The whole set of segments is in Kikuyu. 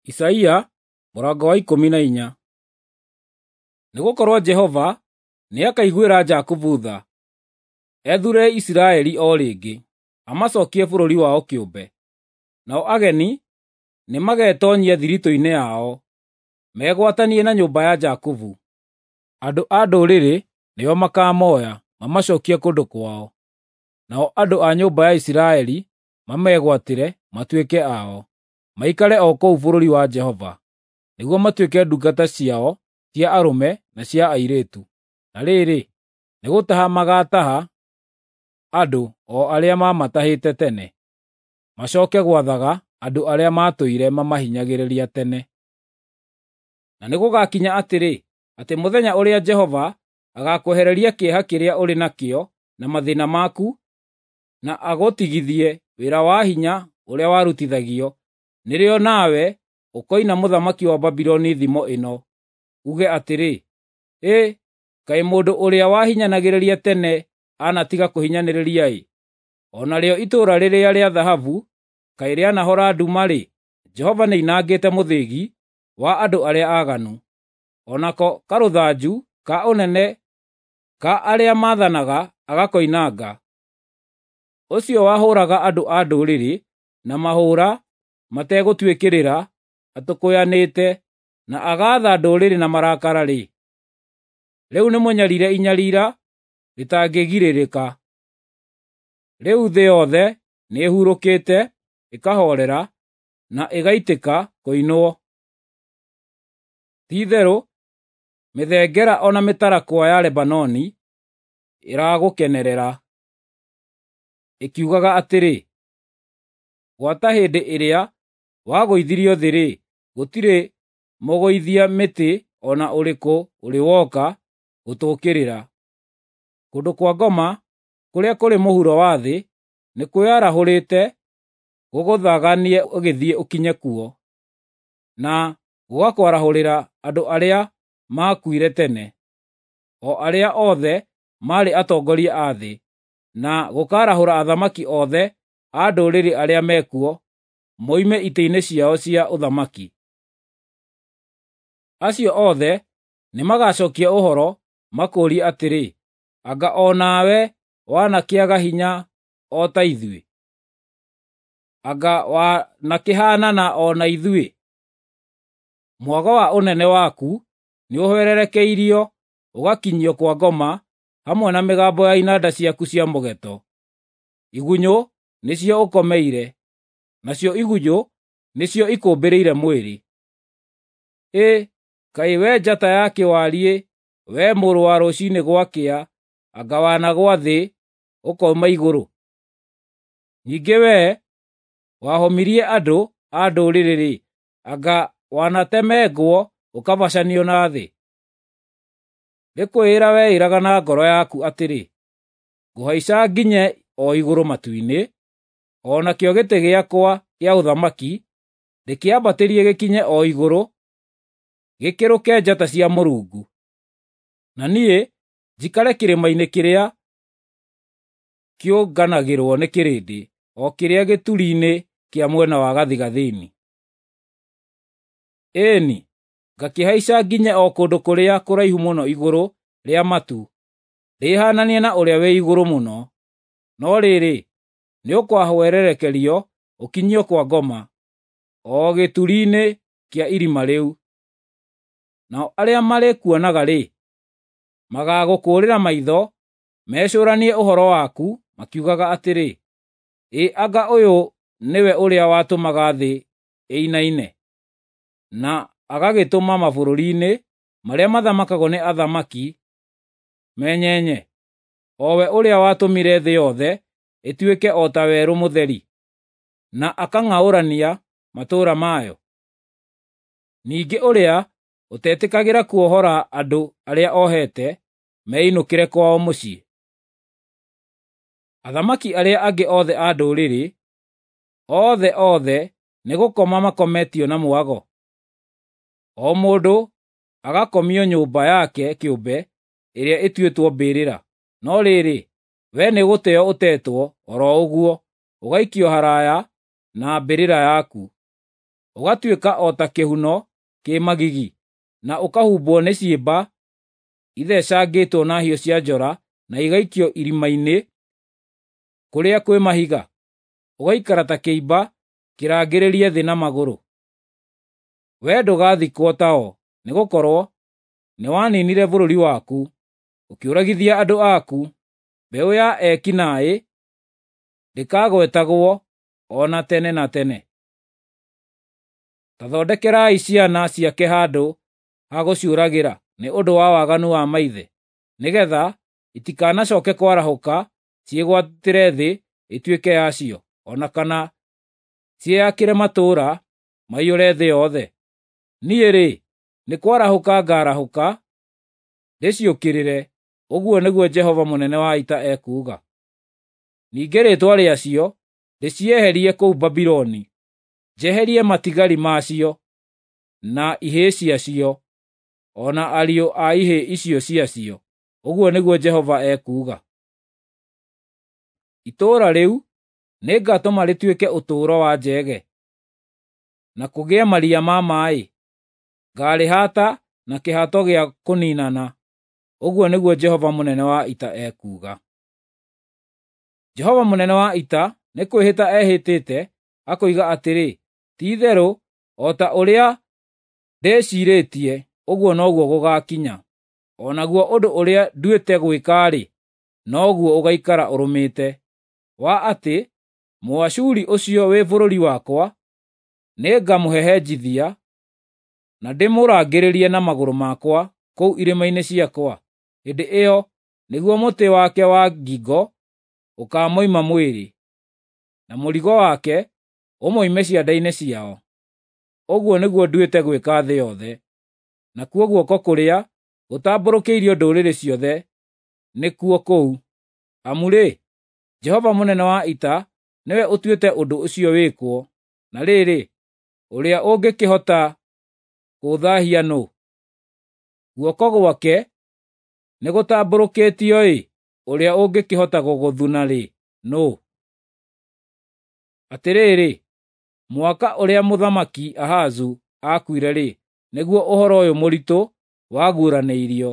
Isaia mũrango wa 14. Nĩgũkorwo Jehova nĩakaiguĩra Jakubu tha, ethuure Isiraeli o rĩngĩ, amacokie bũrũri wao kĩũmbe. Nao ageni nĩmagetoonyia thiritũ-inĩ yao, megwatanie na nyũmba ya Jakubu. Andũ a ndũrĩrĩ nĩo makaamoya, mamacokie kũndũ kwao, nao andũ a nyũmba ya Isiraeli mamegwatĩre matuĩke ao, maikare o kũu bũrũri wa Jehova, nĩguo matuĩke ndungata ciao cia arũme na cia airĩtu. Na rĩrĩ, nĩgũtaha magaataha andũ o arĩa maamatahĩte tene, macooke gwathaga andũ arĩa maatũire mamahinyagĩrĩria tene. Na nĩgũgakinya atĩrĩ, atĩ mũthenya ũrĩa Jehova agaakwehereria kĩeha kĩrĩa ũrĩ nakĩo na mathĩĩna maku, na agũtigithie wĩra wa hinya ũrĩa warutithagio, nĩrĩo nawe ũkoina mũthamaki wa Babuloni thimo ĩno, uuge atĩrĩ, ‘Ĩ, kaĩ mũndũ ũrĩa wahinyanagĩrĩria tene anatiga kũhinyanĩrĩria-ĩ! O narĩo itũũra rĩrĩa rĩa thahabu kaĩ rĩanahora nduma-rĩ! Jehova nĩoinangĩte mũthĩgi wa andũ arĩa aaganu, o nako karũthanju ka ũnene ka arĩa maathanaga agakoinanga. Ũcio wahũũraga andũ a ndũrĩrĩ na mahũũra mategũtuĩkĩrĩra atũkũyanĩte, na agaatha ndũrĩrĩ na marakara-rĩ, rĩu nĩmũnyariire inyariira rĩtangĩgirĩrĩka. Rĩu thĩ yothe nĩĩhurũkĩte, ĩkahoorera, na ĩgaitĩka kũinwo. Ti-itherũ mĩthengera o na mĩtarakwa ya Lebanoni ĩragũkenerera, ĩkiugaga atĩrĩ, ‘Gwata hĩndĩ ĩrĩa wagũithirio thĩ-rĩ, gũtirĩ mũgũithia mĩtĩ o na ũrĩkũ ũrĩ woka gũtũũkĩrĩra.’ Kũndũ kwa ngoma kũrĩa kũrĩ mũhuro wa thĩ nĩkwĩyarahũrĩte gũgũthaganie ũgĩthiĩ ũkinye kuo, na gũgakwarahũrĩra andũ arĩa maakuire tene, o arĩa othe maarĩ atongoria a thĩ, na gũkaarahũra athamaki othe a ndũrĩrĩ arĩa mekuo moime itĩ-inĩ ciao cia ũthamaki. Acio othe nĩmagacookia ũhoro makũũrie atĩrĩ, ‘Anga o nawe wanakĩaga hinya o ta ithuĩ? Anga wanakĩhaanana o na ithuĩ?’ Mwago wa ũnene waku nĩũhwererekeirio ũgakinyio kwa ngoma, hamwe na mĩgambo ya inanda ciaku cia mũgeeto. Igunyũ nĩcio ũkomeire, nacio igunyũ nĩcio ikũmbĩrĩire mwĩrĩ. Ĩ, kaĩ wee njata ya kĩwariĩ, wee mũrũ wa rũciinĩ gwakĩa, anga wanagũa thĩ ũkoima igũrũ? Ningĩ wee wahomirie andũ a ndũrĩrĩ-rĩ, anga wanatemengwo ũkabacanio na thĩ? Nĩ kwĩĩra weĩraga na ngoro yaku atĩrĩ, ‘Ngũhaica nginye o igũrũ matu-inĩ, o nakĩo gĩtĩ gĩakwa kĩa ũthamaki ndĩkĩambatĩrie gĩkinye o igũrũ, gĩkĩrũke njata cia Mũrungu. Na niĩ njikare kĩrĩma-inĩ kĩrĩa kĩũnganagĩrwo nĩ kĩrĩndĩ, o kĩrĩa gĩturi-inĩ kĩa mwena wa gathigathini. Ĩĩ-ni, ngakĩhaica nginye o kũndũ kũrĩa kũraihu mũno igũrũ rĩa matu, ndĩhaananie na Ũrĩa-wĩ-Igũrũ-Mũno. No rĩrĩ, nĩũkahwererekerio ũkinyio kwa ngoma, o gĩturi-inĩ kĩa irima rĩu. Nao arĩa marĩkuonaga-rĩ, magaagũkũũrĩra maitho mecũũranie ũhoro waku makiugaga atĩrĩ, ‘Ĩ anga ũyũ nĩwe ũrĩa watũmaga thĩ ĩinaine, na agagĩtũma mabũrũri-inĩ marĩa mathamakagwo nĩ athamaki menyenye, o we ũrĩa watũmire thĩ yothe ĩtuĩke o ta werũ mũtheri, na akang'aũrania matũũra mayo?’ Ningĩ ũrĩa ũtetĩkagĩra kuohora andũ arĩa ohete meinũkĩre kwao mũciĩ. Athamaki arĩa angĩ othe a ndũrĩrĩ, othe othe nĩgũkoma makometio na mwago, o mũndũ agakomio nyũmba yake kĩũmbe ĩrĩa ĩtuĩtwo mbĩrĩra. No rĩrĩ, wee nĩgũteo ũtetwo o ro ũguo, ũgaikio haraaya na mbĩrĩra yaku. ũgatuĩka o ta kĩhuno kĩ magigi, na ũkahumbwo nĩ ciĩmba ithecangĩtwo na hiũ cia njora na igaikio irima-inĩ kũrĩa kwĩ mahiga, ũgaikara ta kĩimba kĩrangĩrĩrie thĩ na magũrũ. Wee ndũgathikwo tao, nĩgũkorwo nĩwaninire bũrũri waku, ũkĩũragithia andũ aku. Mbeũ ya eki naĩ ndĩkagwetagwo o na tene na tene. Ta thondekerai ciana ciake handũ ha gũciũragĩra nĩ ũndũ wa waganu wa maithe, nĩgeetha itikanacooke kwarahũka ciĩgwatĩre thĩ ĩtuĩke yacio, o na kana ciĩyakĩre matũũra maiyũre thĩ yothe. Niĩ-rĩ, nĩ kwarahũka ngaarahũka ndĩciũkĩrĩre, ũguo nĩguo Jehova mũnene wa ita ekuuga. Ningĩ rĩĩtwa rĩacio ndĩcieherie kũu Babuloni, njeherie matigari macio, na ihĩĩ ciacio, o na ariũ a ihĩĩ icio ciacio, ũguo nĩguo Jehova ekuuga. Itũũra rĩu nĩngatũma rĩtuĩke ũtũũro wa njege, na kũgĩe maria ma maaĩ. Ngaarĩhaata na kĩhato gĩa kũniinana, ũguo nĩguo Jehova mũnene wa ita ekuuga. Jehova mũnene wa ita nĩ kwĩhĩta ehĩtĩte akoiga atĩrĩ, ti-itherũ o ta ũrĩa ndĩciirĩtie, ũguo noguo gũgaakinya. O naguo ũndũ ũrĩa nduĩte gwĩka-rĩ, noguo ũgaikara ũrũmĩte, wa atĩ Mũashuri ũcio wĩ bũrũri wakwa nĩngamũhehenjithia na ndĩmũrangĩrĩrie na magũrũ makwa kũu irĩma-inĩ ciakwa. Hĩndĩ ĩyo nĩguo mũtĩ wake wa ngingo ũkaamoima mwĩrĩ, na mũrigo wake ũmoime ciande-inĩ ciao. Ũguo nĩguo nduĩte gwĩka thĩ yothe. Nakuo guoko kũrĩa gũtambũrũkĩirio ndũrĩrĩ ciothe nĩkuo kũu. Amu-rĩ, Jehova mũnene wa ita nĩwe ũtuĩte ũndũ ũcio wĩkwo, na rĩrĩ, ũrĩa ũngĩkĩhota kũũthaahia nũũ? Guoko gwake nĩgũtambũrũkĩtio-ĩ, ũrĩa ũngĩkĩhota gũgũthuna-rĩ, nũũ? Atĩrĩrĩ, mwaka ũrĩa Mũthamaki Ahazu aakuire-rĩ, nĩguo ũhoro ũyũ mũritũ waguũranĩirio.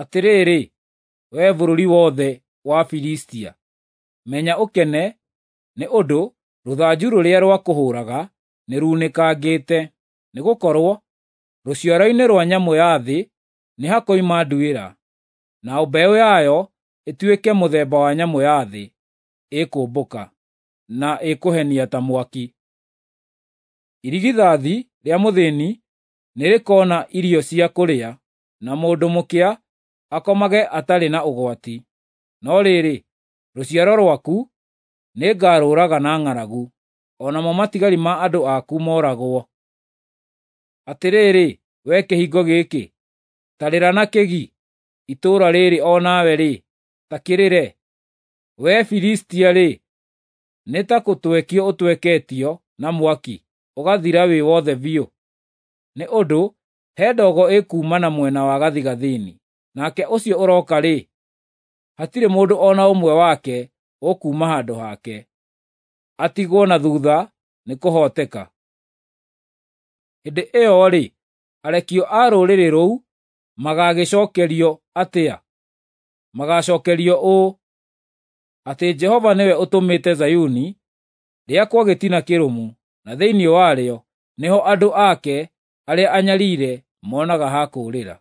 Atĩrĩrĩ, wee bũrũri wothe wa Filistia, menya ũkene, nĩ ũndũ rũthanju rũrĩa rwakũhũũraga nĩrunĩkangĩte. Nĩgũkorwo rũciaro-inĩ rwa nyamũ ya thĩ nĩhakoima nduĩra, na mbeũ yayo ĩtuĩke mũthemba wa nyamũ ya thĩ ĩkũmbũka, na ĩkũhenia ta mwaki. Irigithathi rĩa mũthĩĩni nĩrĩkoona irio cia kũrĩa, na mũndũ mũkĩa akomage atarĩ na ũgwati. No rĩrĩ, rũciaro rwaku nĩngarũũraga na ng'aragu, o namo matigari ma andũ aku mooragwo. Atĩrĩrĩ, wee kĩhingo gĩkĩ, ta rĩra na kĩgi, itũũra rĩrĩ o nawe-rĩ, ta kĩrĩre. Wee Filistia-rĩ, nĩ ta gũtwekio ũtweketio na mwaki, ũgathira wĩ wothe biũ. Nĩ ũndũ he ndogo ĩkuuma na mwena wa gathigathini, nake ũcio ũroka-rĩ, hatirĩ mũndũ o na ũmwe wake ũkuuma handũ hake, atigwo na thuutha nĩkũhooteka. Hĩndĩ ĩyo-rĩ, arekio a rũrĩrĩ rũu magaagĩcookerio atĩa? Magaacookerio ũũ, atĩ Jehova nĩwe ũtũmĩte Zayuni rĩakwo gĩtina kĩrũmu, na thĩinĩ warĩo nĩho andũ ake arĩa anyariire monaga ha kũũrĩra.